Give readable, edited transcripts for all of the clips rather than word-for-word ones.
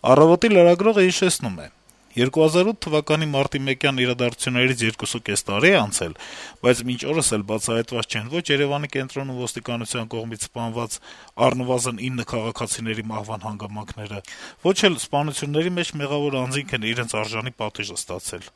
Առավոտի լրագրողը հիշեցնում է. 2008 թվականի մարտի 1-յան իրադարձություններից 2.5 տարի է անցել, բայց մինչ օրս էլ բացահայտված չեն ոչ Երեւանի կենտրոնում ոստիկանության կողմից սպանված առնվազն 9 քաղաքացիների մահվան հանգամանքները, ոչ էլ սպանությունների մեջ մեղավոր անձինք են իրենց արժանի պատիժը ստացել։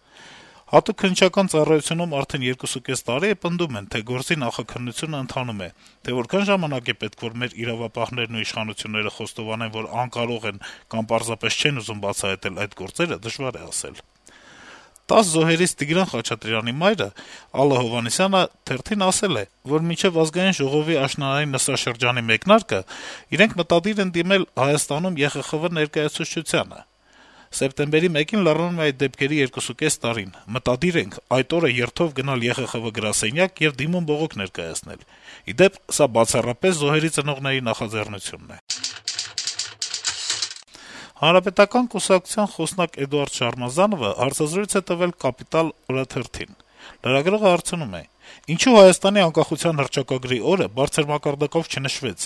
Հատուկ քննչական ծառայությունում արդեն 2.5 տարի է պնդում են, թե գործի նախաքննությունը ընթանում է, թե որքան ժամանակ է պետք, որ մեր իրավապահներն ու իշխանությունները խոստովանեն, որ անկարող են կամ պարզապես չեն ուզում բացահայտել այդ գործերը, դժվար է ասել։ 10 զոհերից Տիգրան Խաչատրյանի մայրը Ալլա Հովհաննիսյանը թերթին ասել է, որ մինչև ազգային ժողովի աշնանային նստաշրջանի մեկնարկը իրենք մտադիր են դիմել Հայաստանում ԵԽԽՎ ներկայացուցչությանը։ Սեպտեմբերի 1-ին լրանում է այդ դեպքերի 2.5 տարին։ Մտադիր ենք այդ օրը երթով գնալ ԵԽԽՎ գրասենյակ եւ դիմում բողոք ներկայացնել։ Ի դեպ, սա բացառապես զոհերի ծնողների նախաձեռնությունն է։ Հանրապետական կուսակցության խոսնակ Էդուարդ Շարմազանովը հարցազրույց է տվել «Կապիտալ» օրաթերթին։ Լրագրողը հարցնում է. - «Ինչու Հայաստանի անկախության հռչակագրի օրը բարձր մակարդակով չնշվեց,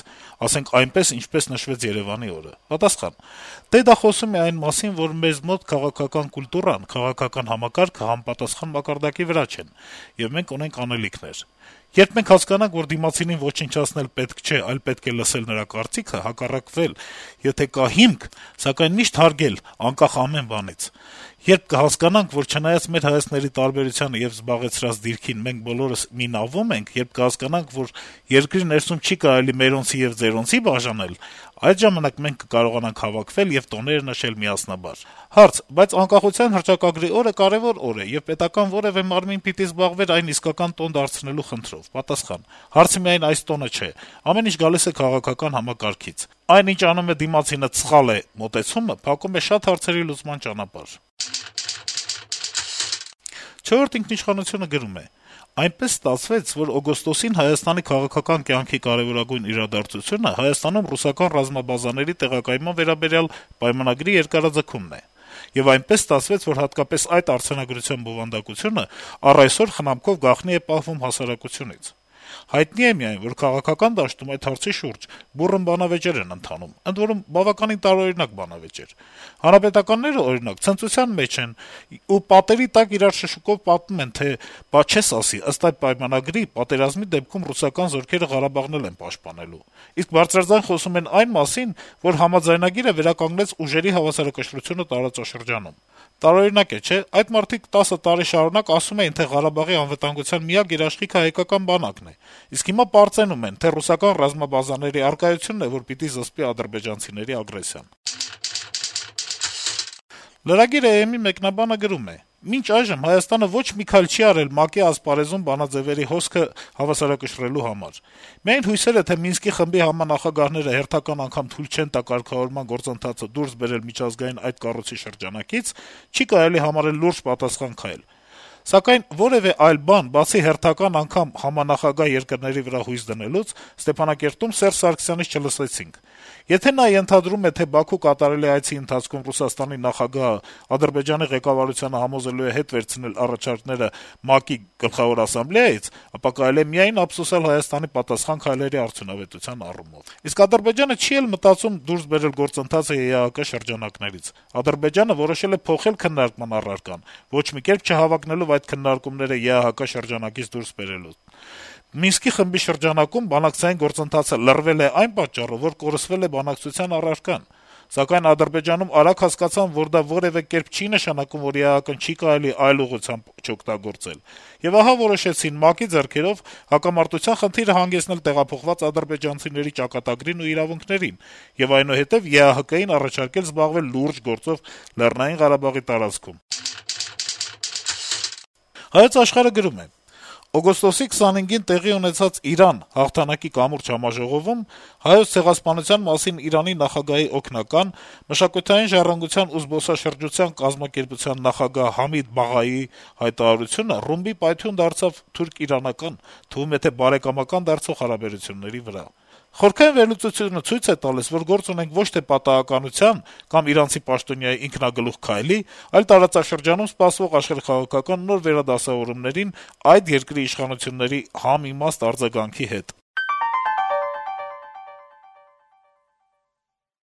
ասենք այնպես, ինչպես նշվեց Երեւանի օրը»։ Պատասխան. - «Դե դա խոսում է այն մասին, որ մեզ մոտ քաղաքական կուլտուրան, քաղաքական համակարգը համապատասխան մակարդակի վրա չեն, եւ մենք ունենք անելիքներ։ Երբ մենք հասկանանք, որ դիմացինին ոչնչացնել պետք չէ, այլ պետք է լսել նրա կարծիքը, հակառակվել, եթե կա հիմք, սակայն միշտ հարգել, անկախ ամեն բանից։ Երբ կհասկանանք, որ չնայած մեր հայացքների տարբերությանը եւ զբաղեցրած դիրքին մենք բոլորս մի նավում ենք, երբ կհասկանանք, որ երկրի ներսում չի կարելի մերոնցի եւ ձերոնցի բաժանել, այդ ժամանակ մենք կկարողանանք հավաքվել եւ տոներ նշել միասնաբար»։ Հարց. - «Բայց անկախության հռչակագրի օրը կարեւոր օր է, եւ պետական որեւէ մարմին պիտի զբաղվեր այն իսկական տոն դարձնելու խնդրով»։ Պատասխան. - «Հարցը միայն այս տոնը չէ, ամեն ինչ գալիս է քաղաքական համակարգից։ Այն, ինչ անում է դիմացինը սխալ է մոտեցումը, փակում է շատ հարցերի լուծման ճանապարհ»։ «Չորրորդ ինքնիշխանություն»-ը գրում է. - «Այնպես ստացվեց, որ օգոստոսին Հայաստանի քաղաքական կյանքի կարեւորագույն իրադարձությունը Հայաստանում ռուսական ռազմաբազաների տեղակայման վերաբերյալ պայմանագրի երկարաձգումն է։ Եվ այնպես ստացվեց, որ հատկապես այդ արձանագրության բովանդակությունը առ այսօր խնամքով գաղտնի է պահվում հասարակությունից։ Հայտնի է միայն, որ քաղաքական դաշտում այդ հարցի շուրջ բուռն բանավեճեր են ընթանում, ընդ որում բավականին տարօրինակ բանավեճեր։ Հանրապետականները, օրինակ, ցնծության մեջ են ու պատերի տակ իրար շշուկով պատմում են, թե «բա չես ասի, ըստ այդ պայմանագրի, պատերազմի դեպքում ռուսական զորքերը Ղարաբաղն էլ են պաշտպանելու»։ Իսկ բարձրաձայն խոսում են այն մասին, որ համաձայնագիրը վերականգնեց ուժերի հավասարակշռությունը տարածաշրջանում։ Տարօրինակ է, չէ՞։ Այդ մարդիկ 10 տարի շարունակ ասում էին, թե Ղարաբաղի անվտանգության միակ երաշխիքը հայկական բանակն է, իսկ հիմա պարծենում են, թե ռուսական ռազմաբազաների առկայությունն է, որ պիտի զսպի ադրբեջանցիների ագրեսիան»։ Lragir.am-ի մեկնաբանը գրում է. - «Մինչ այժմ Հայաստանը ոչ մի քայլ չի արել ՄԱԿ-ի ասպարեզում բանաձեւերի հոսքը հավասարակշռելու համար։ Միայն հույսերը, թե Մինսկի խմբի համանախագահները հերթական անգամ թույլ չեն տա կարգավորման գործընթացը դուրս բերել միջազգային այդ կառույցի շրջանակից, չի կարելի համարել լուրջ պատասխան քայլ։ Սակայն որեւէ այլ բան, բացի հերթական անգամ համանախագահ երկրների վրա հույս դնելուց, Ստեփանակերտում Սերժ Սարգսյանից չլսեցինք։ Եթե նա ենթադրում է, թե Բաքու կատարելի այցի ընթացքում Ռուսաստանի նախագահը Ադրբեջանի ղեկավարությանը համոզելու է հետ վերցնել առաջարկները ՄԱԿ-ի Գլխավոր ասամբլեայից, ապա կարելի է միայն ափսոսել Հայաստանի պատասխան քայլերի արդյունավետության առումով։ Իսկ Ադրբեջանը չի էլ մտածում դուրս բերել գործընթացը ԵԱՀԿ շրջանակներից։ Ադրբեջանը որոշել է փոխել քննարկման առարկան, ոչ մի կերպ չհավակնելով այդ քննարկումները ԵԱՀԿ շրջանակից դուրս բերելու։ Մինսկի խմբի շրջանակում բանակցային գործընթացը լռվել է այն պատճառով, որ կորսվել է բանակցության առարկան։ Սակայն Ադրբեջանում արագ հասկացան, որ դա որեւէ կերպ չի նշանակում, որ ԵԱՀԿ-ն չի կարելի այլ ուղղությամբ չօգտագործել։ Եվ ահա որոշեցին ՄԱԿ-ի ձեռքերով հակամարտության խնդիրը հանգեցնել տեղափոխված ադրբեջանցիների ճակատագրին ու իրավունքներին եւ այնուհետեւ ԵԱՀԿ-ին առաջարկել զբաղվել լուրջ գործով Լեռնային Ղարաբաղի տարածքում»։ Հայոց Աշխարհ-ը գրում է. - «Օգոստոսի 25-ին տեղի ունեցած Իրան հաղթանակի կամուրջ համաժողովում Հայոց ցեղասպանության մասին Իրանի նախագահի օգնական, մշակութային ժառանգության ու զբոսաշրջության կազմակերպության նախագահ Համիդ Բաղաիի հայտարարությունը ռումբի պայթյուն դարձավ թուրք-իրանական, թվում է թե բարեկամական դարձող հարաբերությունների վրա։ Խորքային վերլուծությունը ցույց է տալիս, որ գործ ունենք ոչ թե պատահականության կամ իրանցի պաշտոնյայի ինքնագլուխ քայլի, այլ տարածաշրջանում սպասվող աշխարհաքաղաքական նոր վերադասավորումներին այդ երկրի իշխանությունների համիմաստ արձագանքի հետ»։